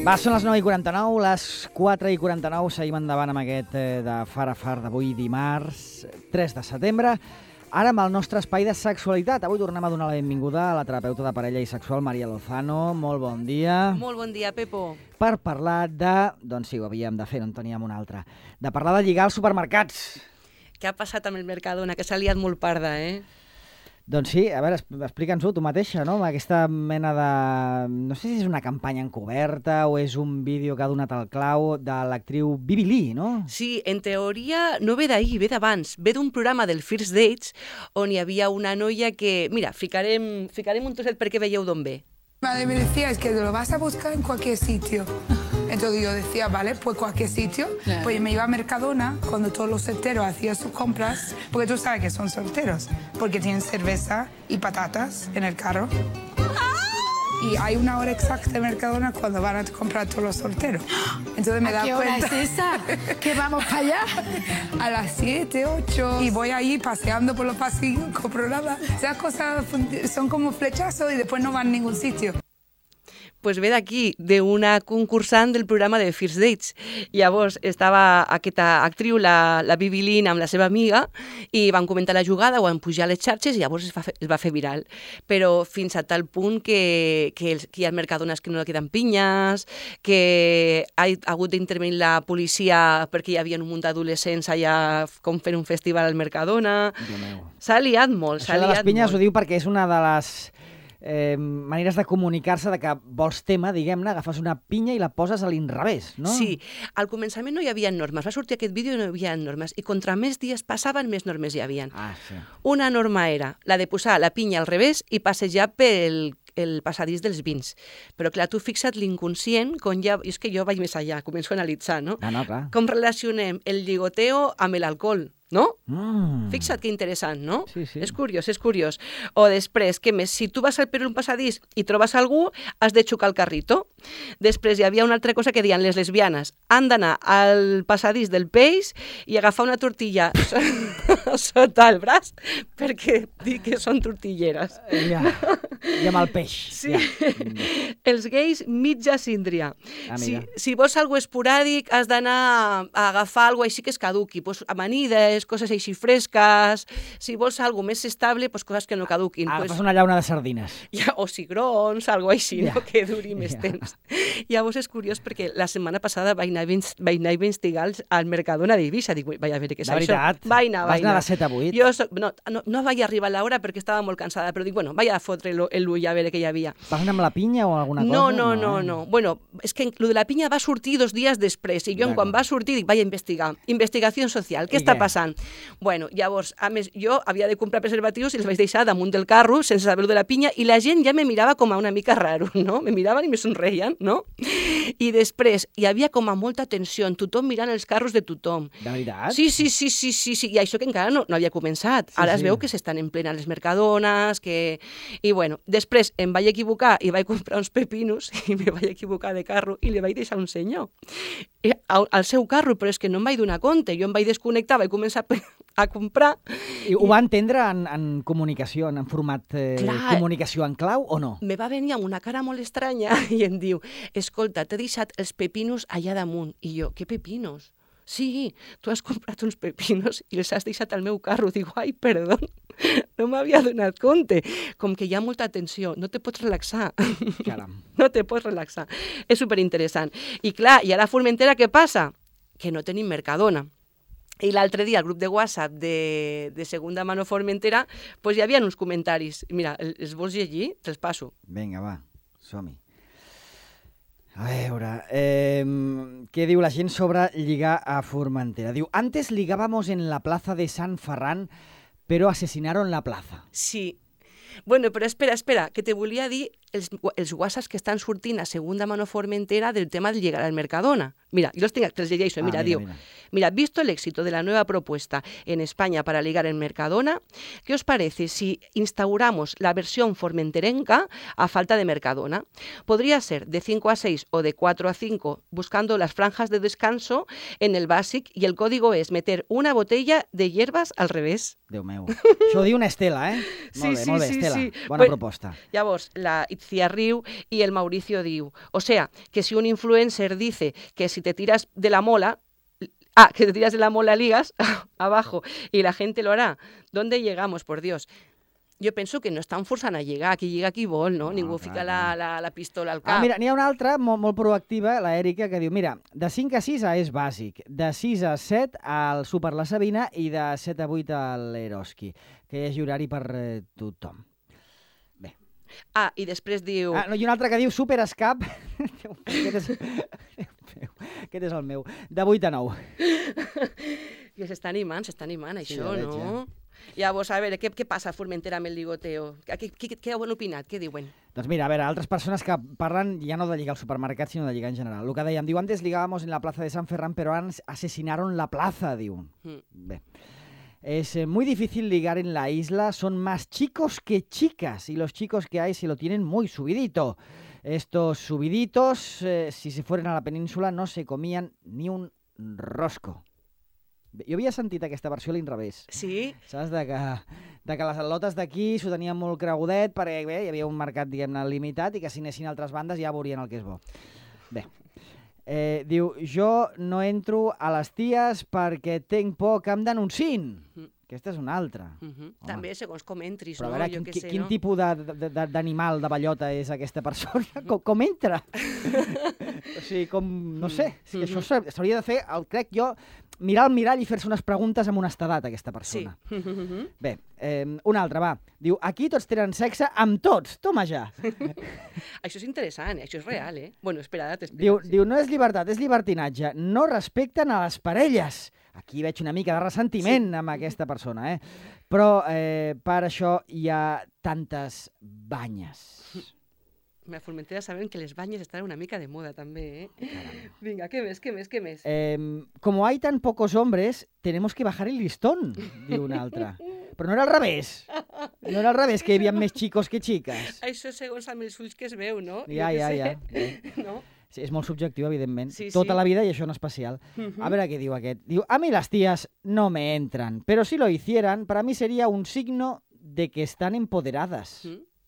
Va, són les 9:49, les 4:49, seguim endavant amb aquest de Far a Far d'avui dimarts 3 de setembre. Ara amb el nostre espai de sexualitat. Avui tornem a donar la benvinguda a la terapeuta de parella i sexual, Maria Lozano. Molt bon dia. Molt bon dia, Pepo. Per parlar de... Doncs sí, ho havíem de fer, no en teníem una altra. De parlar de lligar als supermercats. Què ha passat amb el Mercadona? Que s'ha liat molt parda, eh? Doncs sí, a veure, explica'ns-ho tu mateixa, no? Aquesta mena de... No sé si és una campanya encoberta o és un vídeo que ha donat el clau de l'actriu Bibi Lee, no? Sí, en teoria no ve d'ahir, ve d'abans. Ve d'un programa del First Dates on hi havia una noia que... Mira, ficarem un trosset perquè veieu d'on ve. Madre me decía, es que lo vas a buscar en cualquier sitio. Entonces yo decía, vale, pues cualquier sitio. Claro. Pues me iba a Mercadona cuando todos los solteros hacían sus compras, porque tú sabes que son solteros, porque tienen cerveza y patatas en el carro. Y hay una hora exacta en Mercadona cuando van a comprar todos los solteros. Entonces me da cuenta. ¿A qué hora es esa? ¿Que vamos para allá? A las 7, 8. Y voy ahí paseando por los pasillos, compro nada. Esas cosas son como flechazos y después no van a ningún sitio. Pues ve d'aquí, d'una concursant del programa de First Dates. Llavors estava aquesta actriu, la Bibi Lee, amb la seva amiga, i van comentar la jugada, van pujar a les xarxes i llavors es va fer viral. Però fins a tal punt que hi ha mercadones que no queden pinyes, que ha hagut d'intervenir la policia perquè hi havia un munt d'adolescents allà com fent un festival al Mercadona. S'ha liat molt, s'ha liat molt. Això de les pinyes ho diu perquè és una de les... maneres de comunicar-se de que vols tema, diguem-ne, agafes una pinya i la poses a l'inrevés, no? Sí, al començament no hi havia normes, va sortir aquest vídeo i no hi havia normes, i contra més dies passaven, més normes hi havia. Sí. Una norma era la de posar la pinya al revés i passejar pel passadís dels vins. Però clar, tu fixa't l'inconscient, és que jo vaig més allà, començo a analitzar, no? Clar. Com relacionem el lligoteo amb l'alcohol, no? Fixa't que interessant, no? Sí. És curiós. O després, què més? Si tu vas per un passadís i trobes algú, has de xocar el carrito. Després hi havia una altra cosa que deien les lesbianes. Han d'anar al passadís del peix i agafar una tortilla sota el braç perquè dic que són tortilleres. Ja, i amb el peix. Sí. Ja. Els gais, mitja síndria. Si vols algo esporàdic, has d'anar a agafar algo així que es caduqui. Pues amanides, coses així fresques. Si vols algo més estable, pues coses que no caduquin. Agafes una llauna de sardines. O cigrons, algo així, no? Que duri més temps. Llavors és curiós perquè la setmana passada vaig anar a investigar al Mercadona d'Eivissa. Dic, vaig a veure què és això. De veritat? Vaig anar. Vas anar de 7 a 8? No vaig arribar a l'hora perquè estava molt cansada, però dic, bueno, vaig a fotre l'ull a veure què hi havia. Vas anar amb la pinya o alguna cosa? No. Bueno, és que lo de la pinya va sortir 2 dies després i jo quan va sortir dic, vaig a investigar. Investigació social, què està passant? Bueno, llavors, a més, jo havia de comprar preservatius i els vaig deixar damunt del carro sense saber-ho de la pinya i la gent ja me mirava com a una mica raro, no? Me miraven i me somreien, no? I després hi havia com a molta tensió, tothom mirant els carros de tothom. De veritat? Sí. I això que encara no havia començat. Ara es veu que s'estan en plena les mercadones, que... I bueno, després em vaig equivocar i vaig comprar uns pepinos i me vaig equivocar de carro i li vaig deixar un senyor al seu carro, però és que no em vaig donar compte. Jo em vaig desconnectar, vaig començar a comprar. I ho va entendre en comunicació, en format comunicació en clau o no? Me va venir amb una cara molt estranya i em diu, escolta, t'he deixat els pepinos allà damunt. I jo, què pepinos? Sí, tu has comprat uns pepinos i els has deixat al meu carro. Dic, ai, perdó, no m'havia donat compte. Com que hi ha molta tensió, no te pots relaxar. Caram. No te pots relaxar. És superinteressant. I clar, i ara a Formentera què passa? Que no tenim Mercadona. I l'altre dia, al grup de WhatsApp de Segunda Mano Formentera, doncs hi havia uns comentaris. Mira, els vols llegir? Te'ls passo. Vinga, va, som-hi. A veure, què diu la gent sobre lligar a Formentera? Diu, antes ligábamos en la plaza de San Ferran, pero asesinaron la plaza. Sí. Bueno, però espera, que te volia dir els whatsapps que estan sortint a Segunda Mano Formentera del tema de llegar al Mercadona. Mira, yo te los llegeixo, mira, diu, mira, visto el éxito de la nueva propuesta en España para ligar en Mercadona, ¿qué os parece si instauramos la versión formenterenca a falta de Mercadona? Podría ser de 5 a 6 o de 4 a 5, buscando las franjas de descanso en el Basic, y el código es meter una botella de hierbas al revés. Déu meu. Això ho diu una Estela, eh? Sí, molt bé, sí, Estela. sí. Bona proposta. Llavors, la Cia riu y el Mauricio diu. O sea, que si un influencer dice que si te tiras de la mola, que te tiras de la mola ligas abajo y la gente lo hará, ¿dónde llegamos, por Dios? Jo penso que no estan forçant a lligar, qui lliga qui vol, no? Ningú fica la pistola al cap. Mira, n'hi ha una altra molt proactiva, la Èrica, que diu, mira, de 5 a 6 és bàsic, de 6 a 7 al Super La Sabina i de 7 a 8 a l'Eroski, que hi hagi horari per tothom. Bé. I després diu... I una altra que diu Super Escap, aquest és el meu, de 8 a 9. I s'està animant, això, no? Llavors, a veure, què passa a Formentera amb el ligoteo? Què han opinat? Què diuen? Doncs mira, a veure, altres persones que parlen ja no de lligar al supermercat, sinó de lligar en general. El que dèiem, diu, antes ligábamos en la plaza de San Ferran, pero asesinaron la plaza, diu. Bé. Es muy difícil ligar en la isla, son más chicos que chicas, y los chicos que hay se lo tienen muy subidito. Estos subiditos, si se fueran a la península, no se comían ni un rosco. Jo havia sentit aquesta versió a l'inrevés. Sí? Saps? De que les al·lotes d'aquí s'ho tenien molt cregudet perquè bé, hi havia un mercat, diguem-ne, limitat i que si anessin a altres bandes ja veurien el que és bo. Bé. Diu, jo no entro a les ties perquè tinc por que em denunciïn. Aquesta és una altra. També segons com entris, no? Però a veure, quin tipus d'animal, de bellota és aquesta persona? Com entra? O sigui, com... No sé. Això s'hauria de fer, crec jo, mirar al mirall i fer-se unes preguntes amb honestedat, aquesta persona. Sí. Bé, una altra, va. Diu, aquí tots tenen sexe amb tots. Toma ja. Això és interessant, això és real, eh? Bueno, espera, t'explico. Diu, no és llibertat, és llibertinatge. No respecten a les parelles. Aquí veig una mica de ressentiment amb aquesta persona, eh? Però per això hi ha tantes banyes. A Formentera saben que les banyes estan una mica de moda, també, eh? Vinga, què més? Como hay tan pocos hombres, tenemos que bajar el listón, diu una altra. Però no era al revés. No era al revés, que hi havia més xicos que xiques. Això segons amb els ulls que es veu, no? Ja. No? Sí, és molt subjectiu, evidentment. Sí. Tota la vida i això en especial. A veure què diu aquest. Diu, a mí las tías no me entran, pero si lo hicieran, para mí sería un signo de que están empoderadas.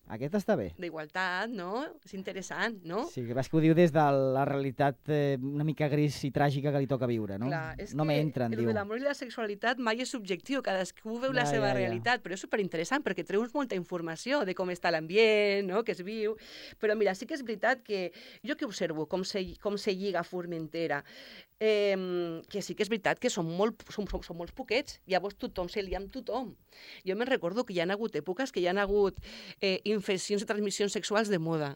Aquest està bé. D'igualtat, no? És interessant, no? Sí, que que ho diu des de la realitat una mica gris i tràgica que li toca viure, no? Clar, és no me entren, diu. El de l'amor i la sexualitat mai és subjectiu, cadascú veu la seva realitat, però és superinteressant perquè treus molta informació de com està l'ambient, no? Que es viu. Però mira, sí que és veritat que jo que observo com se lliga a Formentera, que sí que és veritat que són molts poquets, llavors tothom se lia amb tothom. Jo me'n recordo que hi ha hagut èpoques que hi ha hagut infeccions de transmissions sexuals de moda.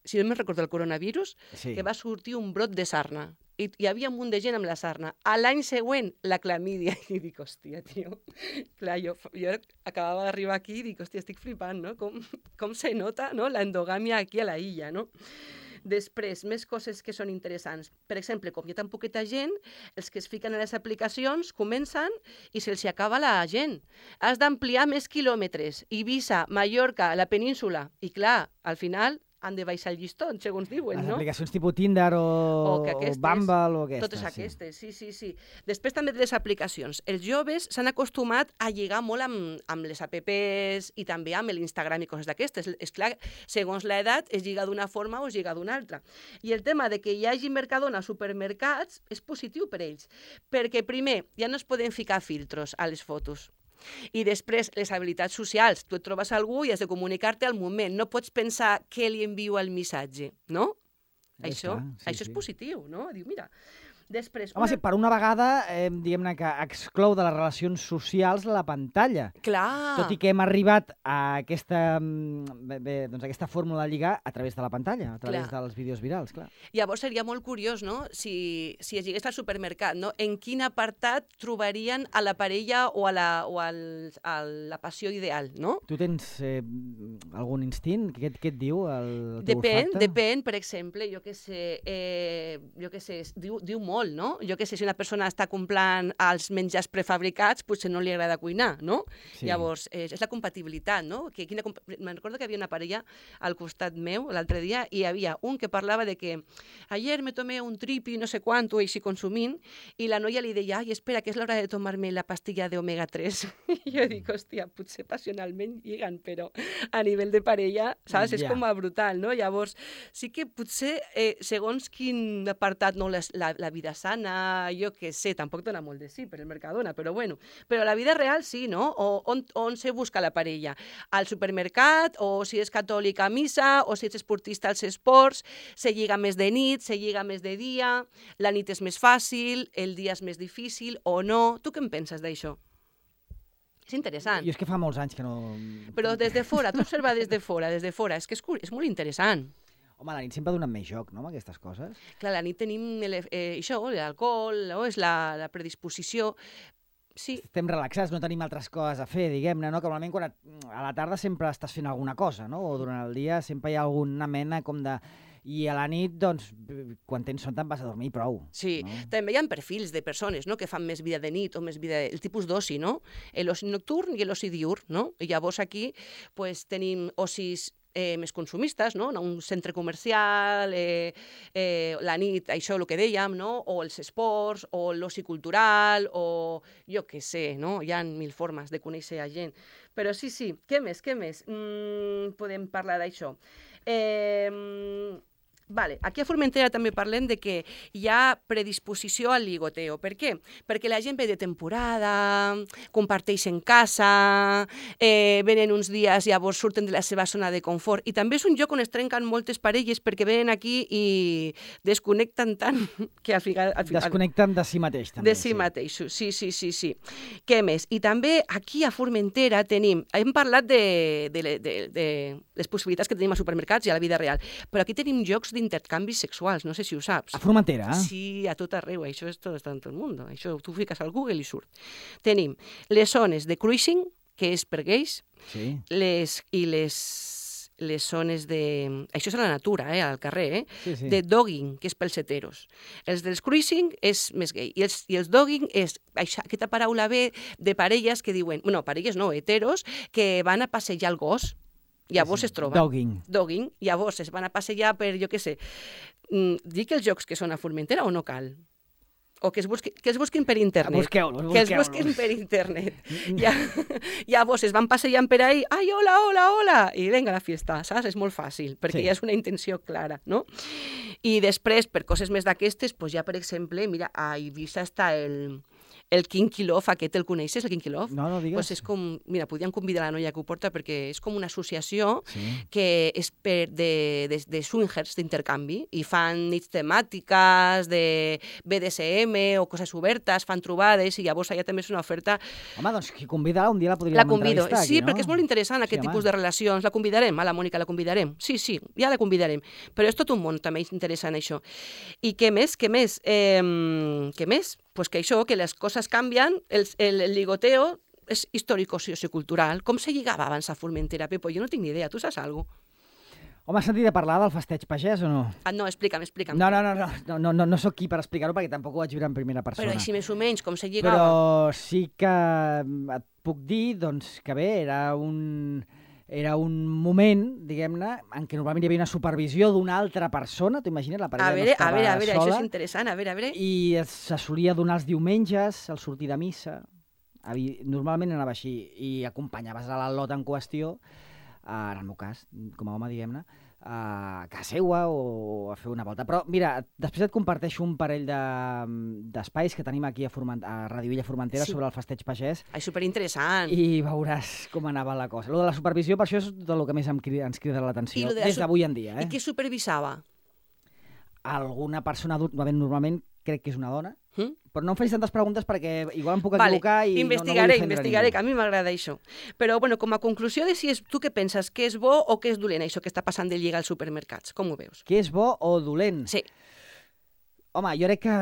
Si no me'n recordo el coronavirus, que va sortir un brot de sarna. I hi havia un munt de gent amb la sarna. A l'any següent, la clamídia. I dic, hòstia, tio. Clar, jo acabava d'arribar aquí i dic, hòstia, estic flipant, no? Com se nota, no? La endogàmia aquí a la illa, no? Després, més coses que són interessants. Per exemple, com hi ha tan poqueta gent, els que es fiquen a les aplicacions comencen i se'ls acaba la gent. Has d'ampliar més quilòmetres. Eivissa, Mallorca, la península. I clar, al final han de baixar el llistó, segons diuen, no? Les aplicacions tipus Tinder o Bumble o aquestes. Totes aquestes, sí. Després també de les aplicacions. Els joves s'han acostumat a lligar molt amb les apps i també amb l'Instagram i coses d'aquestes. És clar, segons l'edat, es lliga d'una forma o es lliga d'una altra. I el tema de que hi hagi Mercadona a supermercats és positiu per ells, perquè primer, ja no es poden ficar filtros a les fotos. I després, les habilitats socials. Tu et trobes algú i has de comunicar-te al moment. No pots pensar què li envio al missatge, no? Això és positiu, no? Diu, mira... Després, home, sí, per una vegada, diguem-ne que exclou de les relacions socials la pantalla. Clar! Tot i que hem arribat a aquesta fórmula de lligar a través de la pantalla, a través dels vídeos virals, clar. Llavors seria molt curiós, no?, si es lligués al supermercat, no?, en quin apartat trobarien a la parella o a la passió ideal, no? Tu tens algun instint? Què et diu el teu olfacte? Depèn, per exemple, jo què sé, diu molt. molt, no? Jo què sé, si una persona està comprant els menjars prefabricats, potser no li agrada cuinar, no? Sí. Llavors, és la compatibilitat, no? Me'n recordo que havia una parella al costat meu l'altre dia i hi havia un que parlava de que ayer me tomé un tripi, no sé quant, o així consumint, i la noia li deia, ai, espera, que és l'hora de tomar-me la pastilla de omega 3. I jo dic, hòstia, potser passionalment lliguen, però a nivell de parella, saps? És com a brutal, no? Llavors, sí que potser, segons quin apartat, no, la vida sana, jo què sé, tampoc dona molt de sí per el Mercadona, però bueno, però la vida real sí, no? On se busca la parella? Al supermercat, o si és catòlic a missa, o si ets esportista als esports, se lliga més de nit, se lliga més de dia, la nit és més fàcil, el dia és més difícil, o no? Tu què en penses d'això? És interessant. Jo és que fa molts anys que no... Però des de fora, tu observa des de fora, és que és molt interessant. Home, la nit sempre donen més joc, no?, amb aquestes coses. Clar, la nit tenim això, l'alcohol, no? És la predisposició. Sí. Estem relaxats, no tenim altres coses a fer, diguem-ne, no? Que normalment a la tarda sempre estàs fent alguna cosa, no? O durant el dia sempre hi ha alguna mena com de... I a la nit, doncs, quan tens son te'n vas a dormir i prou. Sí, no? També hi ha perfils de persones, no?, que fan més vida de nit o més vida... El tipus d'oci, no? L'oci nocturn i l'oci diurn, no? I llavors aquí pues, tenim ocis més consumistes, no? Un centre comercial, la nit, això el que dèiem, no? O els esports, o l'oci cultural, o jo què sé, no? Hi ha mil formes de conèixer a gent. Però sí, què més? Podem parlar d'això. Vale. Aquí a Formentera també parlem de que hi ha predisposició al ligoteo. Per què? Perquè la gent ve de temporada, comparteix en casa, venen uns dies, llavors surten de la seva zona de confort. I també és un lloc on es trenquen moltes parelles perquè venen aquí i desconnecten tant que al final... Desconnecten de si mateix, també. De si mateixos, sí. Què més? I també aquí a Formentera hem parlat de les possibilitats que tenim als supermercats i a la vida real, però aquí tenim jocs d'intercanvis sexuals, no sé si ho saps. A Formentera? Sí, a tot arreu, això és tot en tot el món. Això tu fiques al Google i surt. Tenim les zones de cruising, que és per gais, sí. les zones de... Això és a la natura, al carrer, Sí. de dogging, que és pels heteros. Els dels cruising és més gay. I els dogging és aquesta paraula ve de parelles que diuen... No, parelles no, heteros, que van a passejar el gos. Llavors es troben. Dogging. Llavors es van a passejar per, jo què sé, dic els jocs que són a Formentera o no cal? O que es busquin per internet. Busqueu-los. Que els busquin per internet. Llavors es van passejant per ahí, ai, hola, i venga la fiesta, saps? És molt fàcil, perquè ja és una intenció clara, no? I després, per coses més d'aquestes, doncs ja, per exemple, mira, a Eivissa està el Kinky Love, aquest el coneixes, el Kinky Love? No digues. Pues és com, mira, podríem convidar la noia que ho porta perquè és com una associació que és de swingers d'intercanvi i fan nits temàtiques de BDSM o coses obertes, fan trobades i llavors allà també és una oferta... Home, doncs qui convida un dia la podríem entrevistar aquí, sí, perquè és molt interessant aquest tipus de relacions. La convidarem, a la Mònica la convidarem. Sí, ja la convidarem. Però és tot un món també interessant això. I què més? Pues que això, que les coses canvien, el ligoteo és històrico-sociocultural. Com se lligava abans a Formentera, Pepo? Jo no tinc ni idea. Tu saps alguna cosa? Home, has sentit a parlar del festeig pagès o no? No, explica'm. No sóc qui per explicar-ho perquè tampoc ho vaig viure en primera persona. Però així més o menys, com se lligava? Però sí que et puc dir doncs, que bé, era un moment, diguem-ne, en què normalment hi havia una supervisió d'una altra persona, t'ho imagines? La parella no estava sola. A veure, això és interessant, a veure. I se solia donar els diumenges, al sortir de missa. Normalment anava així, i acompanyaves a l'al·lot en qüestió, en el meu cas, com a home, diguem-ne, a casa seua o a fer una volta. Però, mira, després et comparteixo un parell d'espais que tenim aquí a Ràdio Illa Formentera sobre el festeig pagès. És superinteressant. I veuràs com anava la cosa. Lo de la supervisió, per això és el que més ens crida l'atenció, des d'avui en dia. I qui supervisava? Alguna persona adulta, normalment crec que és una dona, però no em facis tantes preguntes perquè igual em puc equivocar i investigaré, no vull que a mi m'agrada això. Però, bueno, com a conclusió de si és tu què penses, què és bo o què és dolent, això que està passant de lligar als supermercats? Com ho veus? Què és bo o dolent? Sí. Home, jo crec que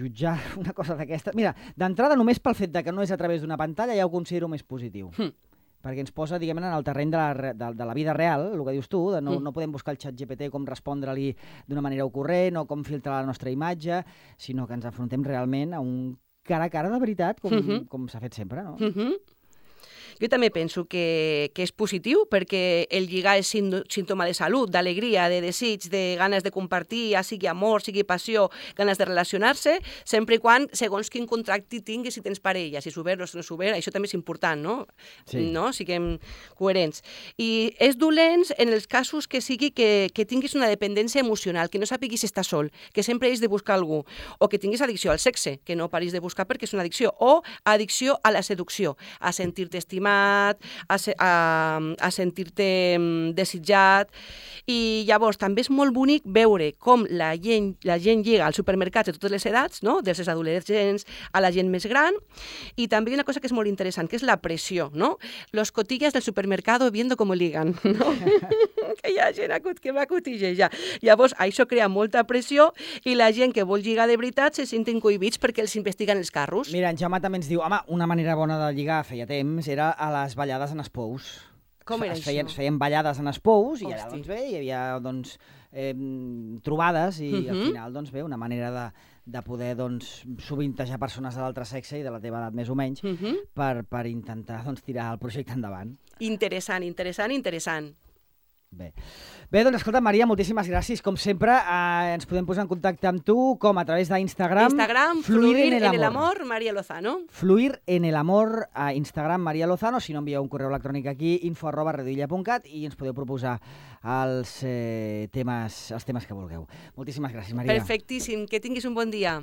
jutjar una cosa d'aquesta... Mira, d'entrada, només pel fet que no és a través d'una pantalla ja ho considero més positiu. perquè ens posa, diguem-ne, en el terreny de la vida real, el que dius tu, de no podem buscar el xat GPT com respondre-li d'una manera ocorrent o com filtrar la nostra imatge, sinó que ens afrontem realment a un cara a cara de veritat, com s'ha fet sempre, no? Jo també penso que és positiu perquè el lligar és símptoma de salut, d'alegria, de desig, de ganes de compartir, ja sigui amor, sigui passió, ganes de relacionar-se, sempre i quan, segons quin contracte tinguis, si tens parella, si és obert o si no és obert, això també és important, no? Sí. No? Siguem coherents. I és dolent en els casos que sigui que tinguis una dependència emocional, que no sàpiguis si estàs sol, que sempre hagis de buscar algú, o que tinguis addicció al sexe, que no paris de buscar perquè és una addicció, o addicció a la seducció, a sentir-te estimat, a sentir-te desitjat. I llavors també és molt bonic veure com la gent lliga als supermercats de totes les edats, no? Des dels adolescents a la gent més gran. I també una cosa que és molt interessant, que és la pressió, no? Los cotillas del supermercado viendo cómo ligan, no? Que hi ha gent que va cotillejar. Llavors, això crea molta pressió i la gent que vol lligar de veritat se senten cohibits perquè els investiguen els carros. Mira, en Jaume també ens diu, home, una manera bona de lligar feia temps era a les ballades en espous. Com era això? Es feien ballades en espous i allà, doncs bé, hi havia, doncs, trobades i al final, doncs bé, una manera de poder, doncs, sovintejar persones de l'altre sexe i de la teva edat més o menys per intentar, doncs, tirar el projecte endavant. Interessant, interessant, interessant. Bé, doncs escolta, Maria, moltíssimes gràcies. Com sempre, ens podem posar en contacte amb tu, com a través d'Instagram. Instagram, Fluir en el Amor, María Lozano. Fluir en el Amor, a Instagram, María Lozano. Si no, envieu un correu electrònic aquí, info@redilla.cat, i ens podeu proposar els temes que vulgueu. Moltíssimes gràcies, Maria. Perfectíssim, que tinguis un bon dia.